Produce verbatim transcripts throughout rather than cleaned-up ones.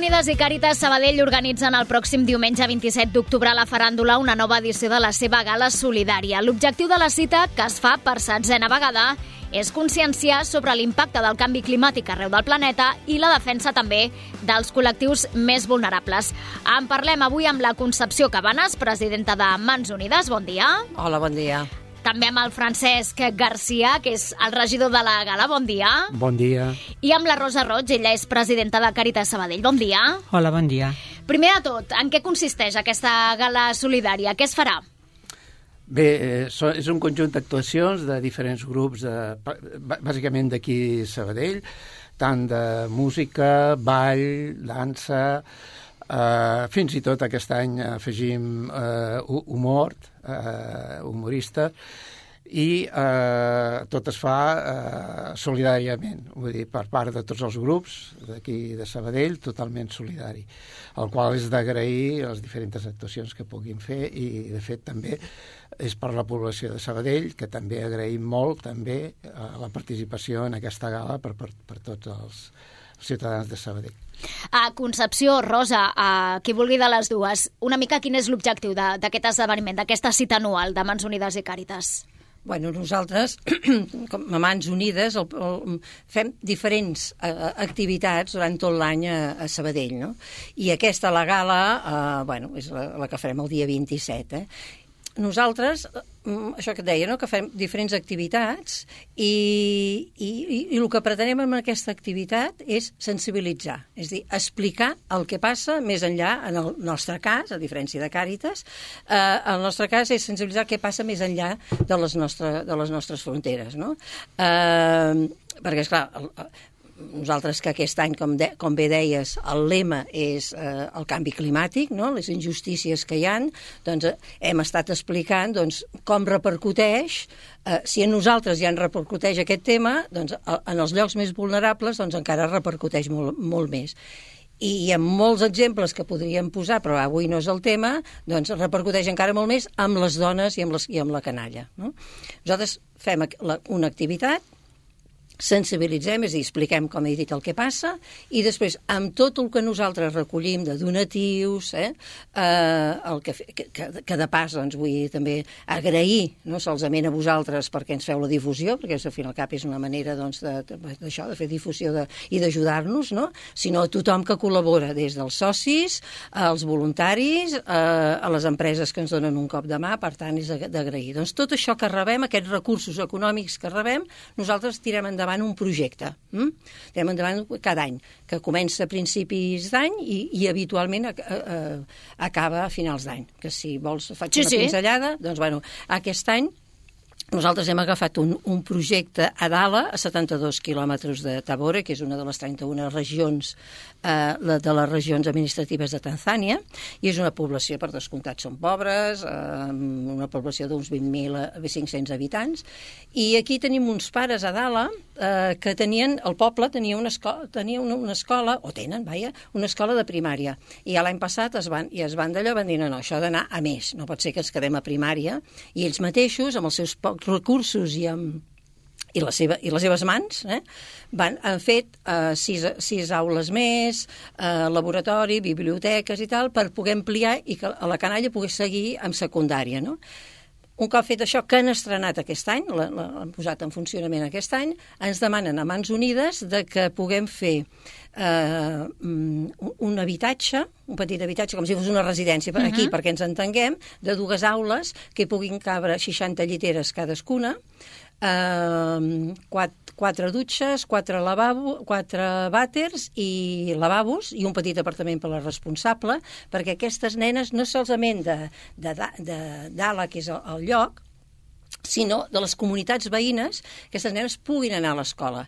Unides i Càritas Sabadell organitzen el pròxim diumenge vint-i-set d'octubre a la Faràndula una nova edició de la seva gala solidària. L'objectiu de la cita, que es fa per setzena vegada, és conscienciar sobre l'impacte del canvi climàtic arreu del planeta i la defensa també dels col·lectius més vulnerables. En parlem avui amb la Concepció Cabanes, presidenta de Mans Unides. Bon dia. Hola, bon dia. També amb el Francesc Garcia, que és el regidor de la gala. Bon dia. Bon dia. I amb la Rosa Roig, ella és presidenta de Càritas Sabadell. Bon dia. Hola, bon dia. Primer de tot, en què consisteix aquesta gala solidària? Què es farà? Bé, eh, és un conjunt d'actuacions de diferents grups, de, bàsicament d'aquí Sabadell, tant de música, ball, dansa, eh, fins i tot aquest any afegim eh, humor, eh, humorista, i eh, tot es fa eh, solidàriament, vull dir, per part de tots els grups d'aquí de Sabadell, totalment solidari, el qual és d'agrair les diferents actuacions que puguin fer i, de fet, també és per la població de Sabadell, que també agraïm molt també eh, la participació en aquesta gala per, per, per tots els ciutadans de Sabadell. A Concepció, Rosa, a qui vulgui de les dues, una mica quin és l'objectiu d'aquest esdeveniment, d'aquesta cita anual de Mans Unides i Càritas? Bueno, nosaltres, com a Mans Unides, el, el, fem diferents uh, activitats durant tot l'any a, a Sabadell, no? I aquesta, la gala, uh, bueno, és la, la que farem el dia vint-i-set, eh? Nosaltres, això que et deia, no? Que fem diferents activitats i, i, i el que pretenem amb aquesta activitat és sensibilitzar, és a dir, explicar el que passa més enllà, en el nostre cas, a diferència de Càritas, eh, el nostre cas és sensibilitzar el que passa més enllà de les, nostre, de les nostres fronteres, no? Eh, perquè, esclar, el, nosaltres que aquest any, com, de, com bé deies, el lema és eh, el canvi climàtic, no? Les injustícies que hi ha, doncs eh, hem estat explicant doncs, com repercuteix, eh, si a nosaltres ja en repercuteix aquest tema, doncs en els llocs més vulnerables doncs, encara repercuteix molt, molt més. I hi ha molts exemples que podríem posar, però avui no és el tema, doncs repercuteix encara molt més amb les dones i amb, les, i amb la canalla, no? Nosaltres fem la, una activitat, sensibilitzem, és a dir, expliquem, com he dit, el que passa, i després, amb tot el que nosaltres recollim de donatius, eh, eh, el que, que, que de pas, doncs, vull també agrair, no solament a vosaltres perquè ens feu la difusió, perquè al final cap és una manera, doncs, d'això, de, de fer difusió de, i d'ajudar-nos, no? Sinó a tothom que col·labora, des dels socis, als voluntaris, eh, a les empreses que ens donen un cop de mà, per tant, és d'agrair. Doncs tot això que rebem, aquests recursos econòmics que rebem, nosaltres tirem endavant un projecte. Mm? Tirem endavant cada any, que comença a principis d'any i, i habitualment a, a, a, acaba a finals d'any. Que si vols faig sí, una sí. pinzellada, doncs bueno, aquest any nosaltres hem agafat un, un projecte a Dala, a setanta-dos quilòmetres de Tabore, que és una de les trenta-una regions eh, de les regions administratives de Tanzània, i és una població, per descomptat, són pobres, eh, una població d'uns vint mil cinc-cents habitants, i aquí tenim uns pares a Dala eh, que tenien, el poble tenia una escola, tenia una, una escola, o tenen, vaja, una escola de primària, i l'any passat es van, i es van d'allò, van dir, no, no, això ha d'anar a més, no pot ser que ens quedem a primària, i ells mateixos, amb els seus pocs recursos i amb i, la seva, i les seves mans, eh, van, han fet eh, sis, sis aules més, eh, laboratori, biblioteques i tal, per poder ampliar i que la canalla pogués seguir amb secundària, no? Un cop fet això, que han estrenat aquest any, l'han posat en funcionament aquest any, ens demanen a Mans Unides de que puguem fer eh, un habitatge, un petit habitatge, com si fos una residència aquí, uh -huh. perquè ens entenguem, de dues aules que puguin cabre seixanta lliteres cadascuna, eh, quatre, quatre dutxes, quatre, lavabo, quatre vàters i lavabos i un petit apartament per a la responsable, perquè aquestes nenes no solament de, de, de d'Ala, que és el, el lloc, sinó de les comunitats veïnes, aquestes nenes puguin anar a l'escola.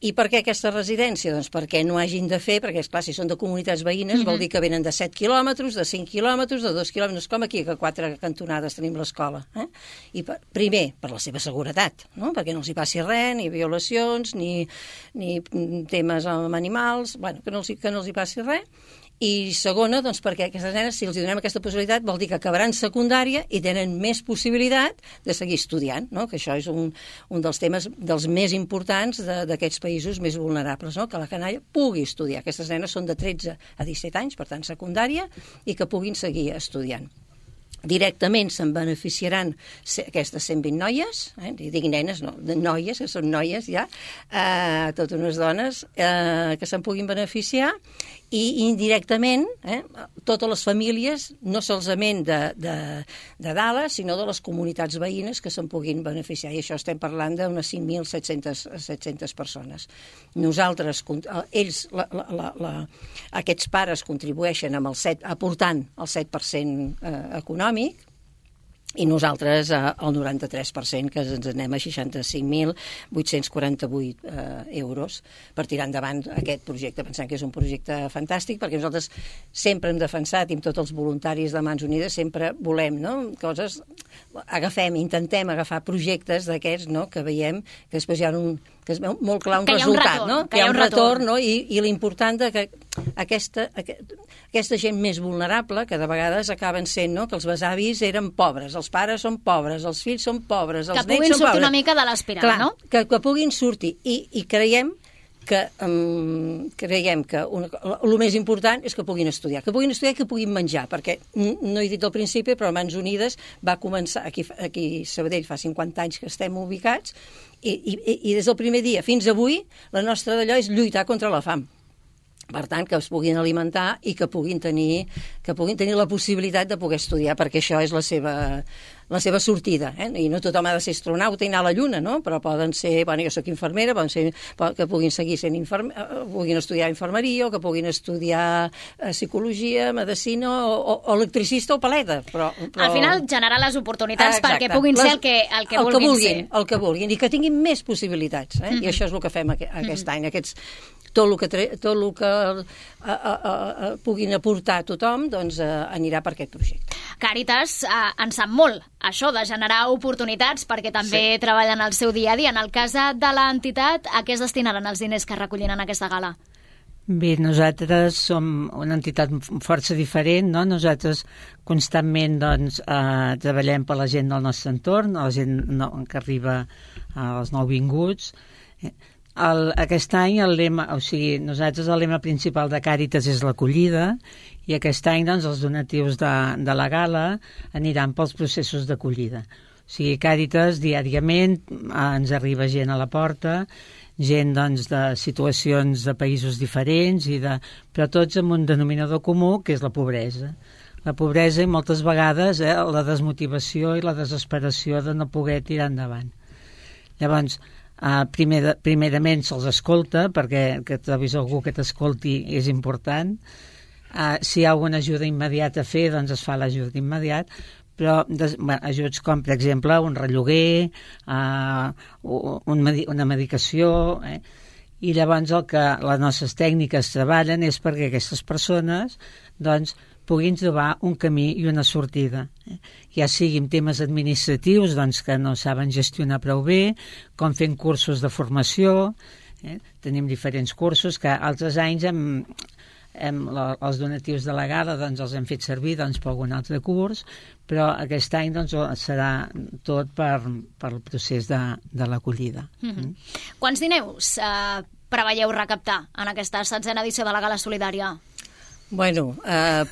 I per què aquesta residència? Doncs perquè no hagin de fer, perquè, esclar, si són de comunitats veïnes, uh-huh. vol dir que venen de set quilòmetres, de cinc quilòmetres, de dos quilòmetres, com aquí, que a quatre cantonades tenim l'escola. Eh? I per, primer, per la seva seguretat, no? Perquè no els hi passi res, ni violacions, ni, ni temes amb animals, bueno, que no els, que no els hi passi res. I segona, doncs, perquè aquestes nenes, si els donem aquesta possibilitat, vol dir que acabaran secundària i tenen més possibilitat de seguir estudiant, no? Que això és un, un dels temes dels més importants d'aquests països més vulnerables, no? Que la canalla pugui estudiar. Aquestes nenes són de tretze a disset anys, per tant, secundària, i que puguin seguir estudiant. Directament se'n beneficiaran aquestes cent vint noies, eh? Dic nenes, no, de noies, que són noies ja, eh, totes unes dones eh, que se'n puguin beneficiar, i indirectament eh, totes les famílies, no solament de, de, de Dallas, sinó de les comunitats veïnes que se'n puguin beneficiar, i això estem parlant d'unes cinc mil set-centes persones. Nosaltres, ells, la, la, la, la, aquests pares contribueixen amb el set, aportant el set per cent eh, econòmic, i nosaltres eh, el noranta-tres per cent, que ens anem a seixanta-cinc mil vuit-cents quaranta-vuit eh, euros per tirar endavant aquest projecte. Pensem que és un projecte fantàstic, perquè nosaltres sempre hem defensat, i amb tots els voluntaris de Mans Unides sempre volem, no? Coses, agafem, intentem agafar projectes d'aquests, no? Que veiem que després hi ha un, que es veu molt clar un resultat, un retorn, no? Que hi ha un retorn, no? I, i l'important de que aquesta, aquesta gent més vulnerable, que de vegades acaben sent, no? Que els besavis eren pobres, els pares són pobres, els fills són pobres, els nets són pobres. Que puguin sortir una mica de l'espiral, no? Que, que puguin sortir. I, i creiem que um, creiem que una, el més important és que puguin estudiar, que puguin estudiar i que puguin menjar, perquè no he dit al principi, però Mans Unides va començar, aquí, aquí a Sabadell fa cinquanta anys que estem ubicats, i, i, i des del primer dia fins avui la nostra d'allò és lluitar contra la fam. Per tant, que es puguin alimentar i que puguin tenir, que puguin tenir la possibilitat de poder estudiar, perquè això és la seva, la seva sortida. Eh? I no tothom ha de ser astronauta i anar a la Lluna, no? Però poden ser, bueno, jo soc infermera, poden ser, que puguin seguir sent infermer, puguin estudiar infermeria, o que puguin estudiar psicologia, medicina, o, o, o electricista o paleta. Però, però... Al final, generar les oportunitats Exacte. perquè puguin les, ser el que, el que el vulguin, que vulguin ser. El que vulguin, i que tinguin més possibilitats. Eh? Mm-hmm. I això és el que fem aquest, aquest mm-hmm. any. Aquests, tot el que, tot el que a, a, a, a, puguin aportar a tothom, doncs a, anirà per aquest projecte. Càritas eh, en sap molt, això de generar oportunitats, perquè també sí. treballen el seu dia a dia. En el cas de l'entitat, a què es destinaran els diners que recollin en aquesta gala? Bé, nosaltres som una entitat força diferent, no? Nosaltres constantment doncs, eh, treballem per la gent del nostre entorn, la gent no, que arriba als nouvinguts. El, aquest any el lema, o sigui, nosaltres el lema principal de Càritas és l'acollida, i aquest any doncs, els donatius de, de la gala aniran pels processos d'acollida. O sigui, Càritas diàriament eh, ens arriba gent a la porta, gent doncs, de situacions de països diferents, i de, però tots amb un denominador comú, que és la pobresa. La pobresa i moltes vegades eh, la desmotivació i la desesperació de no poder tirar endavant. Llavors, Uh, primer de, primerament se'ls escolta, perquè que trobis algú que t'escolti és important. Uh, si hi ha alguna ajuda immediata a fer, doncs es fa l'ajuda immediat, però des, bueno, ajuts com, per exemple, un relloguer, uh, un, una medicació, eh? I llavors el que les nostres tècniques treballen és perquè aquestes persones doncs, puguin trobar un camí i una sortida. Eh? Ja sigui en temes administratius, doncs, que no saben gestionar prou bé, com fent cursos de formació. Eh? Tenim diferents cursos que altres anys hem, hem, la, els donatius de la gala doncs, els hem fet servir doncs, per algun altre curs, però aquest any doncs, serà tot per, per el procés de, de l'acollida. Mm-hmm. Mm? Quants diners eh, preveieu recaptar en aquesta setzena edició de la Gala Solidària? Bueno, eh,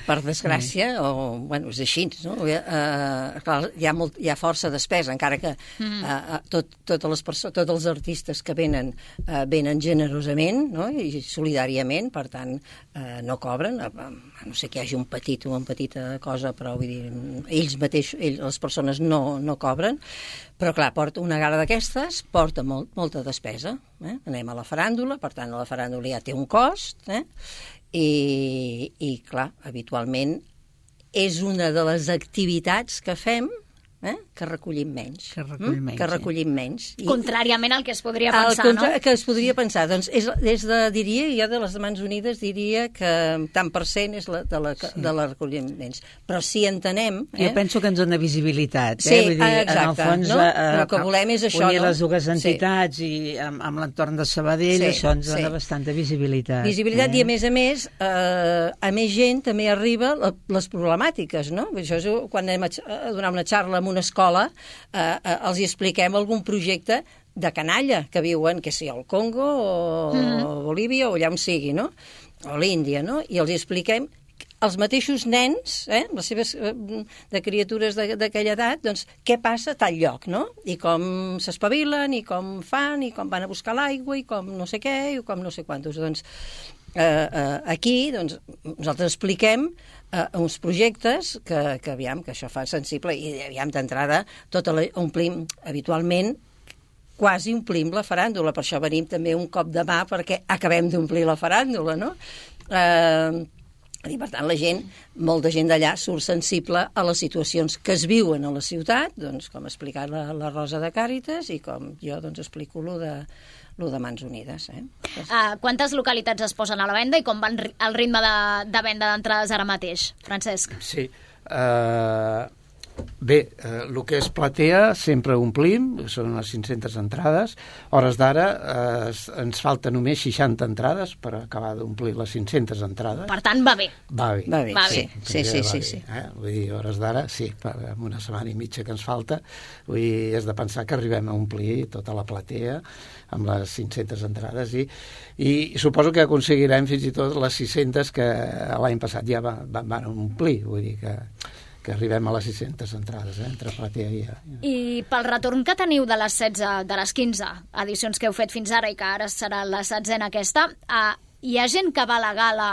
per desgràcia, o, bueno, és així, no? Eh, clar, hi ha, molt, hi ha força despesa, encara que eh, tot, totes les perso- tots els artistes que venen, eh, venen generosament, no? I solidàriament, per tant, eh, no cobren, a, a no sé que hi hagi un petit o una petita cosa, però vull dir, ells mateixos, ells, les persones no, no cobren, però clar, porta una gala d'aquestes, porta molt, molta despesa. Eh? Anem a la faràndula, per tant, la faràndula ja té un cost, eh? I, i clar, habitualment és una de les activitats que fem eh? que recollim menys. Que recollim menys, mm? que recollim menys. I... Contràriament al que es podria el pensar, contra... no? Que es podria pensar. Doncs és, és de, diria, jo de les Mans Unides diria que tant per cent és la, de, la, sí. de la recolliments. Però si entenem... Eh? Jo penso que ens dona visibilitat. Sí, eh? Vull dir, exacte. En el fons, no? eh, el que volem és això, unir no? les dues entitats sí. i amb, amb l'entorn de Sabadell, sí, això ens dona sí. bastanta visibilitat. Visibilitat eh? i, a més a més, eh, a més gent també arriba la, les problemàtiques, no? Això és quan anem a, a donar una xarra en una escola, eh, eh, els hi expliquem algun projecte de canalla que viuen, que sigui al Congo o mm. Bolívia o allà on sigui, no? O l'Índia, no? I els hi expliquem els mateixos nens, eh, les seves eh, de criatures d'aquella edat, doncs què passa a tal lloc, no? I com s'espavilen, i com fan, i com van a buscar l'aigua, i com no sé què, i com no sé quantos. Doncs eh, eh, aquí doncs, nosaltres expliquem eh, uns projectes que, que aviam, que això fa sensible, i aviam d'entrada tota la, omplim habitualment quasi omplim la faràndula, per això venim també un cop de mà perquè acabem d'omplir la faràndula, no? Eh, i per tant la gent, molta gent d'allà surt sensible a les situacions que es viuen a la ciutat, doncs com ha explicat la, la Rosa de Càritas i com jo doncs explico lo de, lo de Mans Unides. Eh? Uh, quantes localitats es posen a la venda i com van el ritme de, de venda d'entrades ara mateix, Francesc? Sí, uh, bé, eh, el que és platea sempre omplim, són unes cinc-centes entrades. Hores d'ara eh, ens falta només seixanta entrades per acabar d'omplir les cinc-centes entrades. Per tant, va bé. Va bé. Va bé, va sí. bé. Sí, sí, va sí, bé, sí. Eh? Vull dir, hores d'ara, sí, per, amb una setmana i mitja que ens falta, vull dir, és de pensar que arribem a omplir tota la platea amb les cinc-centes entrades i, i suposo que aconseguirem fins i tot les sis-centes que l'any passat ja van, van omplir, vull dir que que arribem a les sis-centes entrades, eh, entre platea i... I pel retorn que teniu de les setze, de les quinze edicions que heu fet fins ara i que ara serà la setzena aquesta, eh, hi ha gent que va a la gala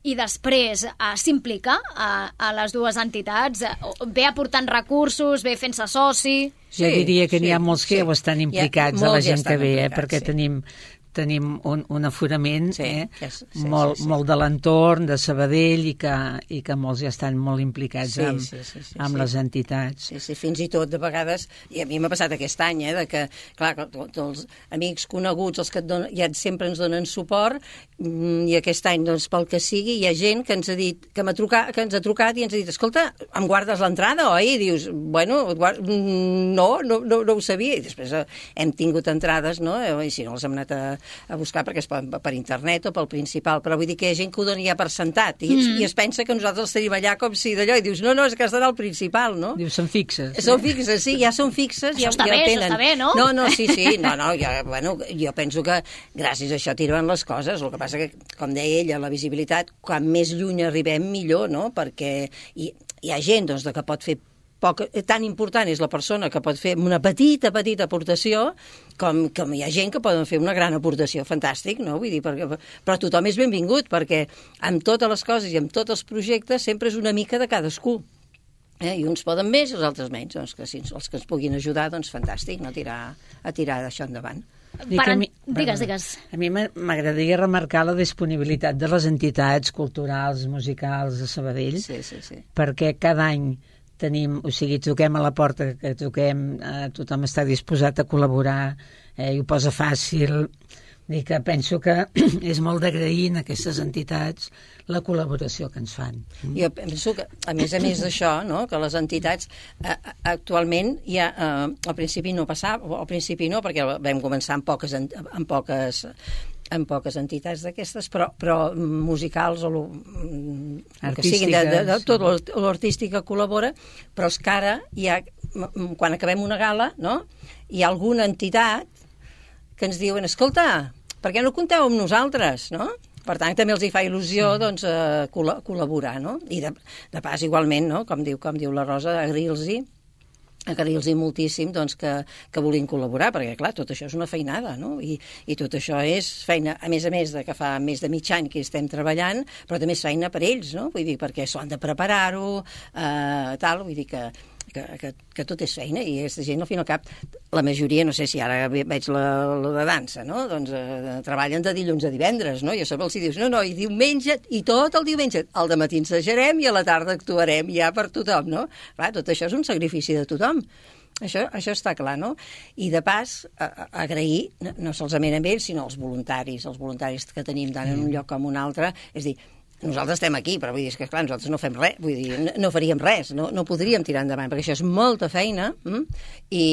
i després eh, s'implica a, a les dues entitats, eh, ve aportant recursos, ve fent-se soci... Jo sí, diria que n'hi ha sí, molts que sí. ja ho estan implicats, ha, de la gent que ve, eh, perquè sí. tenim... tenim un, un aforament sí, eh, sí, sí, molt, sí, sí. molt de l'entorn, de Sabadell, i que, i que molts ja estan molt implicats sí, amb, sí, sí, sí, amb sí. les entitats. Sí, sí, fins i tot de vegades, i a mi m'ha passat aquest any, eh, de que, clar, tots els amics coneguts, els que et donen, ja sempre ens donen suport, i aquest any, doncs, pel que sigui, hi ha gent que ens ha dit, que, trucat, que ens ha trucat i ens ha dit, escolta, em guardes l'entrada, oi? I dius, bueno, guard... no, no, no, no ho sabia, i després hem tingut entrades, no? I si no les hem anat a, a buscar perquè es poden per internet o pel principal, però vull dir que hi ha gent que ho dona ja per sentat i, mm. i es pensa que nosaltres els tenim allà com si d'allò, i dius, no, no, és que estarà al principal, no? Dius, són fixes. Són fixes, sí, ja són fixes. Això ja, està ja bé, tenen. això està bé, no? No, no, sí, sí, no, no, jo, bueno, jo penso que gràcies a això tiren les coses, el que passa que, com deia ella, la visibilitat, quan més lluny arribem, millor, no? Perquè hi, hi ha gent, doncs, que pot fer poc, tan important és la persona que pot fer una petita, petita aportació com, com hi ha gent que poden fer una gran aportació, fantàstic, no? Vull dir, perquè, però tothom és benvingut, perquè amb totes les coses i amb tots els projectes sempre és una mica de cadascú. Eh? I uns poden més i els altres menys. Doncs que si els que ens puguin ajudar, doncs fantàstic, no? tirar, a tirar d'això endavant. Per mi, digues, digues. A mi m'agradaria remarcar la disponibilitat de les entitats culturals, musicals de Sabadell, sí, sí, sí. perquè cada any tenim, o sigui, toquem a la porta, que toquem, eh, tothom està disposat a col·laborar, eh, i ho posa fàcil. Dic que penso que és molt d'agrair en aquestes entitats la col·laboració que ens fan. Jo penso que, a més a més d'això, no?, que les entitats eh, actualment ja, eh, al principi no passava, al principi no, perquè vam començar amb poques, amb poques en poques entitats d'aquestes, però, però musicals o lo, que siguin de, de, de tot l'artístic que col·labora, però és que ara hi ha, quan acabem una gala, no?, hi ha alguna entitat que ens diuen, escolta, per què no compteu amb nosaltres, no? Per tant, també els hi fa il·lusió, sí. doncs, eh, col·laborar, no? I de, de pas, igualment, no?, com diu, com diu la Rosa, agrair-los-hi agrair-los moltíssim doncs, que, que vulguin col·laborar, perquè, clar, tot això és una feinada, no? I, i tot això és feina, a més a més de que fa més de mig any que estem treballant, però també és feina per ells, no? Vull dir, perquè s'ho han de preparar-ho, eh, tal, vull dir que que, que, que tot és feina, i aquesta gent al fin i al cap, la majoria, no sé si ara veig la, la de dansa, no? Doncs eh, treballen de dilluns a divendres, no? I a sobre els hi dius, no, no, i diumenge, i tot el diumenge, al dematí ensajarem i a la tarda actuarem ja per tothom, no? Clar, tot això és un sacrifici de tothom. Això, això està clar, no? I de pas, a, a, agrair, no, no solament a ells, sinó als voluntaris, els voluntaris que tenim tant en un lloc com un altre, és a dir, nosaltres estem aquí, però vull dir, és que clar, nosaltres no fem res, vull dir, no, no faríem res, no, no podríem tirar endavant, perquè això és molta feina, hm? I,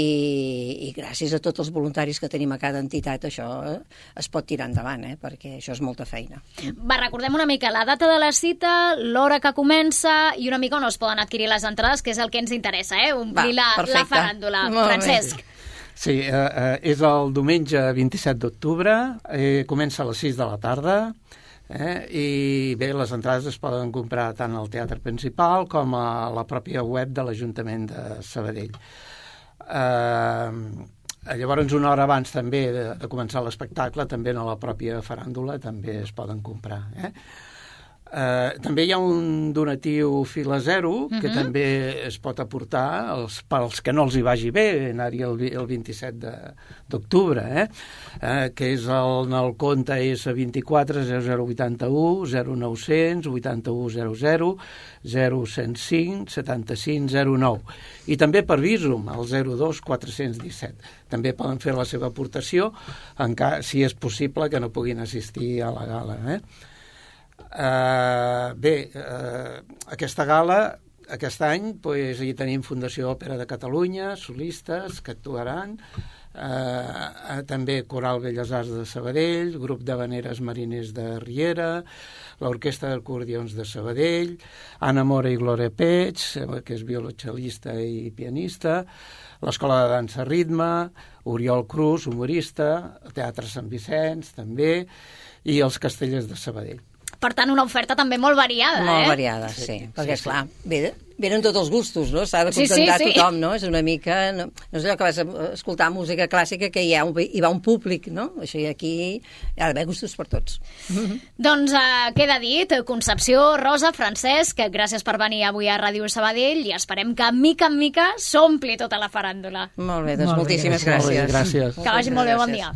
i gràcies a tots els voluntaris que tenim a cada entitat això eh, es pot tirar endavant, eh? Perquè això és molta feina. Va, recordem una mica la data de la cita, l'hora que comença i una mica on es poden adquirir les entrades, que és el que ens interessa, eh? Omplir Va, la, la faràndula. Francesc. Sí, eh, eh, és el diumenge vint-i-set d'octubre, eh, comença a les sis de la tarda, Eh? I bé, les entrades es poden comprar tant al Teatre Principal com a la pròpia web de l'Ajuntament de Sabadell. Eh, llavors, una hora abans també de, de començar l'espectacle, també a la pròpia faràndula també es poden comprar. Eh? Eh, també hi ha un donatiu fil a zero que uh-huh. també es pot aportar els, pels que no els hi vagi bé anar-hi el, el vint-i-set d'octubre, eh? Eh, que és el, el compte és vint-i-quatre zero zero vuitanta-u zero nou-cents vuitanta-u zero zero zero cent cinc setanta-cinc zero nou, i també per Visum el zero dos quatre-cents disset. També poden fer la seva aportació encara, si és possible que no puguin assistir a la gala, eh? Uh, bé, uh, aquesta gala, aquest any, pues, hi tenim Fundació Òpera de Catalunya, solistes que actuaran, uh, també Coral Belles Arts de Sabadell, Grup d'Havaneres Mariners de Riera, l'Orquestra d'Acordions de Sabadell, Anna Mora i Gloria Peig, que és violoncel·lista i pianista, l'Escola de Dansa Ritme, Oriol Cruz, humorista, el Teatre Sant Vicenç, també, i els Castellers de Sabadell. Per tant, una oferta també molt variada, molt eh? Molt variada, sí. sí perquè, esclar, sí. Ve, venen tots els gustos, no? S'ha de contentar sí, sí, sí. tothom, no? És una mica... No, no és allò que vas a escoltar música clàssica que hi, ha un, hi va un públic, no? Això aquí hi ha d'haver gustos per tots. Doncs uh, queda dit, Concepció, Rosa, Francesc, gràcies per venir avui a Ràdio Sabadell i esperem que, mica en mica, s'ompli tota la faràndula. Molt bé, doncs molt moltíssimes bé, gràcies. gràcies. Que vagi molt bé, bon dia.